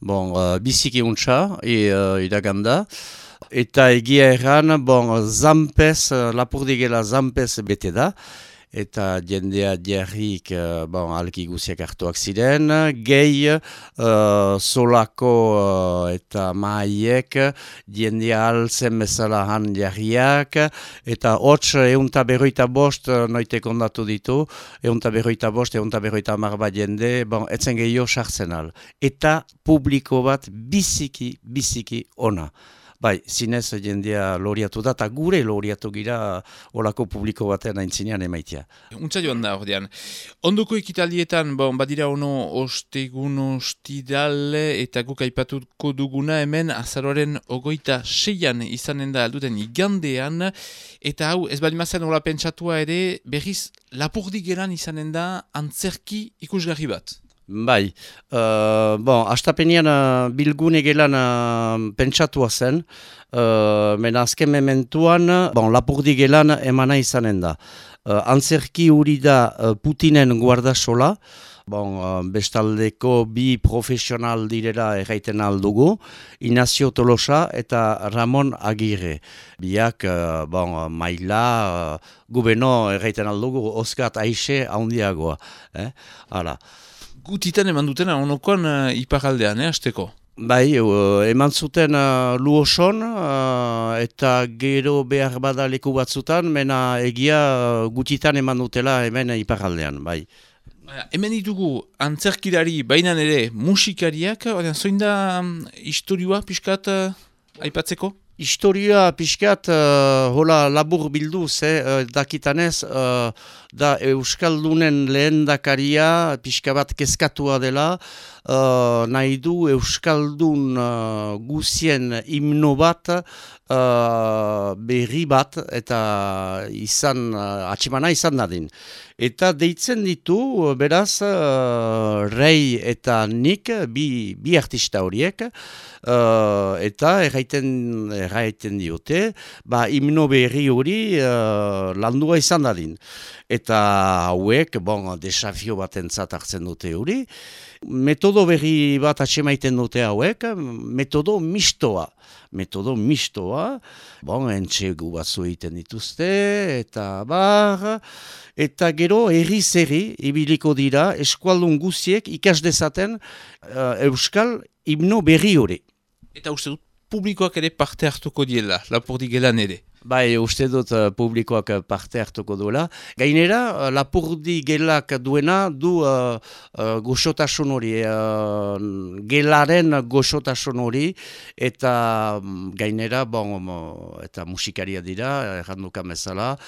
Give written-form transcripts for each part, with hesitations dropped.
Bon, biziki untsa, iraganda. Eta egia erran, bon, zampez, lapurdigela zampez bete da. Eta jendea diarrik, bon, alki guziak hartuak ziren. Gehi, solako eta maaiek, jendea alzen bezala han diarriak. Eta hots, eunta berroita bost, noite kondatu ditu. Eunta berroita bost, eunta berroita hamar bat jende, bon, etzen gehiago sartzen al. Eta publiko bat biziki ona. Bai, zinez jendea loriatu da, eta gure loriatu gira olako publiko batean aintzinean emaitia. Untza joan da, ordean. Ondoko ekitaldietan, bon, badira ono ostegun ostidal eta guk aipatuko duguna hemen azaroaren 26an izanen da alduten igandean, eta hau ez balimazen hola pentsatua ere berriz Lapurdi izanen da antzerki ikusgarri bat. Bai, bon, astapenean bilgune gelan pentsatua zen, mena azken mementuan, bon, Lapurdi gelan emana izanen da. Antzerki huri da Putinen guardasola, bon, bestaldeko bi profesional direla erraiten aldugu, Ignacio Tolosa eta Ramon Agirre. Biak, bon, maila, gubeno erraiten aldugu, Oskat Aixe haundiagoa. Hala. Gutitan eman dutena onokoan iparaldean, hasteko? Bai, eman zuten Luoson eta gero behar bada leku batzutan, mena egia gutitan eman dutela hemen iparaldean, bai. Hemen ditugu antzerkilari bainan ere musikariak, zoin da historioa pixkat aipatzeko? Historia pixkat hola labur bilduz, dakitanez, da Euskaldunen lehendakaria pixka bat kezkatua dela, nahi du Euskaldun guzien himno bat, berri bat, eta atximana izan dadin. Eta deitzen ditu, beraz, Rei eta nik, bi artista horiek, eta erraiten diote, himno berri hori landua izan dadin. Eta hauek, bon, desafio bat entzat hartzen dute hori, metodo berri bat atxemaiten dute hauek, metodo mistoa. Metodo mistoa, bon, entxegu batzu egiten dituzte, eta gero herri ibiliko dira eskualdun guziek ikas dezaten Euskal himno berri hori. Eta uste dut publikoak ere parte hartuko diela, Lapurdi gelan ere. Bai, uste dut publikoak parte hartuko duela. Gainera, Lapurdi gelak duena du goxotasun hori, gelaren goxotasun hori, eta gainera, bon, eta musikaria dira, errandukan bezala,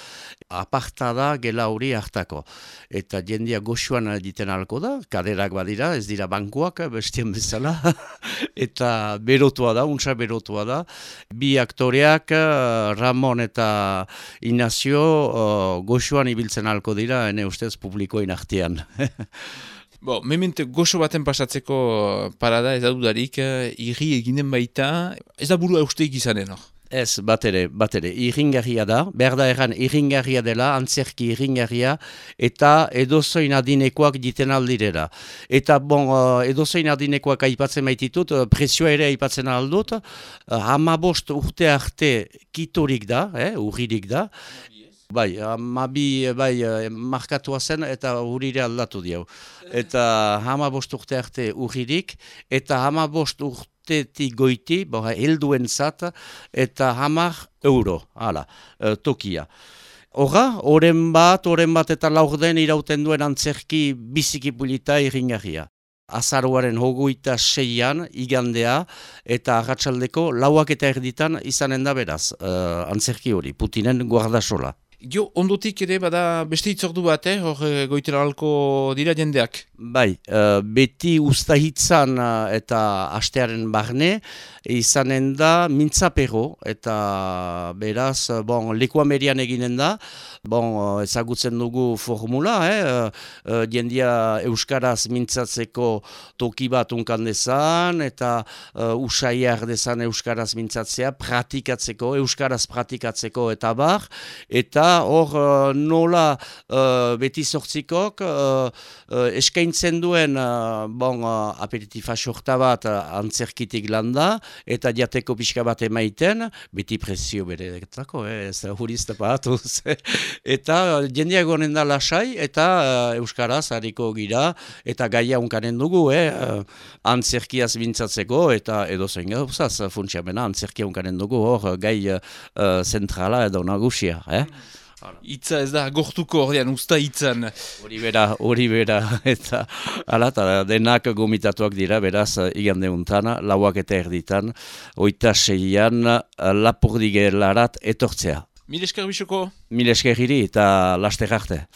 aparta da gela hori hartako. Eta jendia goxuan egiten halko da, kaderak badira, ez dira bankuak, bestien bezala, eta berotua da, untsa berotua da. Bi aktoreak, Ramon eta Ignacio goxuan ibiltzen halko dira, ene ustez publikoen artean. Memente goxo baten pasatzeko parada ez da dudarik, irri eginen baita, ez da burua usteik izanen, hor? Ez, bat ere, irringarria da, behar da erran irringarria dela, antzerki irringarria, eta edozoin adinekoak diten aldirera. Eta bon, edozoin adinekoak aipatzen baititut, presioa ere aipatzen aldut, 15 urte arte kitorik da, urririk da, bai, markatua zen eta urrire aldatu diau. Eta 15 urte arte urririk, eta 15 urtetik goiti, helduen zat, eta 10 euro, tokia. Oren bat eta laurden irauten duen antzerki biziki pulita irringarria. Azaroaren 26an igandea eta arratsaldeko 4:00 izanen da beraz, antzerki hori, Putinen guardasola. Jo, ondotik ere bada beste hitzordu bat, hor goitera halko dira jendeak? Bai, beti ustahitzan eta astearen barne, izanen da mintzapero, eta beraz, bon, lekuamerian eginen da, bon, ezagutzen dugu formula, jendia euskaraz mintzatzeko toki bat unkan dezan, eta usaiar dezan euskaraz mintzatzea, euskaraz pratikatzeko eta bar, eta da hor nola beti sortzikok eskaintzen duen aperitifa sorta bat antzerkitik landa, eta jateko pixka bat emaiten, beti prezio bereetako, ez huriz tapatuz. Eta jendeak honen da lasai, eta euskaraz hariko gira, eta gaia unkanen dugu, antzerkiaz bintzatzeko, eta edo zen gauzaz funtsiamena antzerkia unkanen dugu, hor gai zentrala edo nagusia. Itza ez da, gortuko ordean, usta itzan. Hori bera, eta denak gomitatuak dira, beraz, igande untan, 4:00 26an, Lapurdigelarat etortzea. Mil esker bisoko? Mil esker hiri eta laster arte.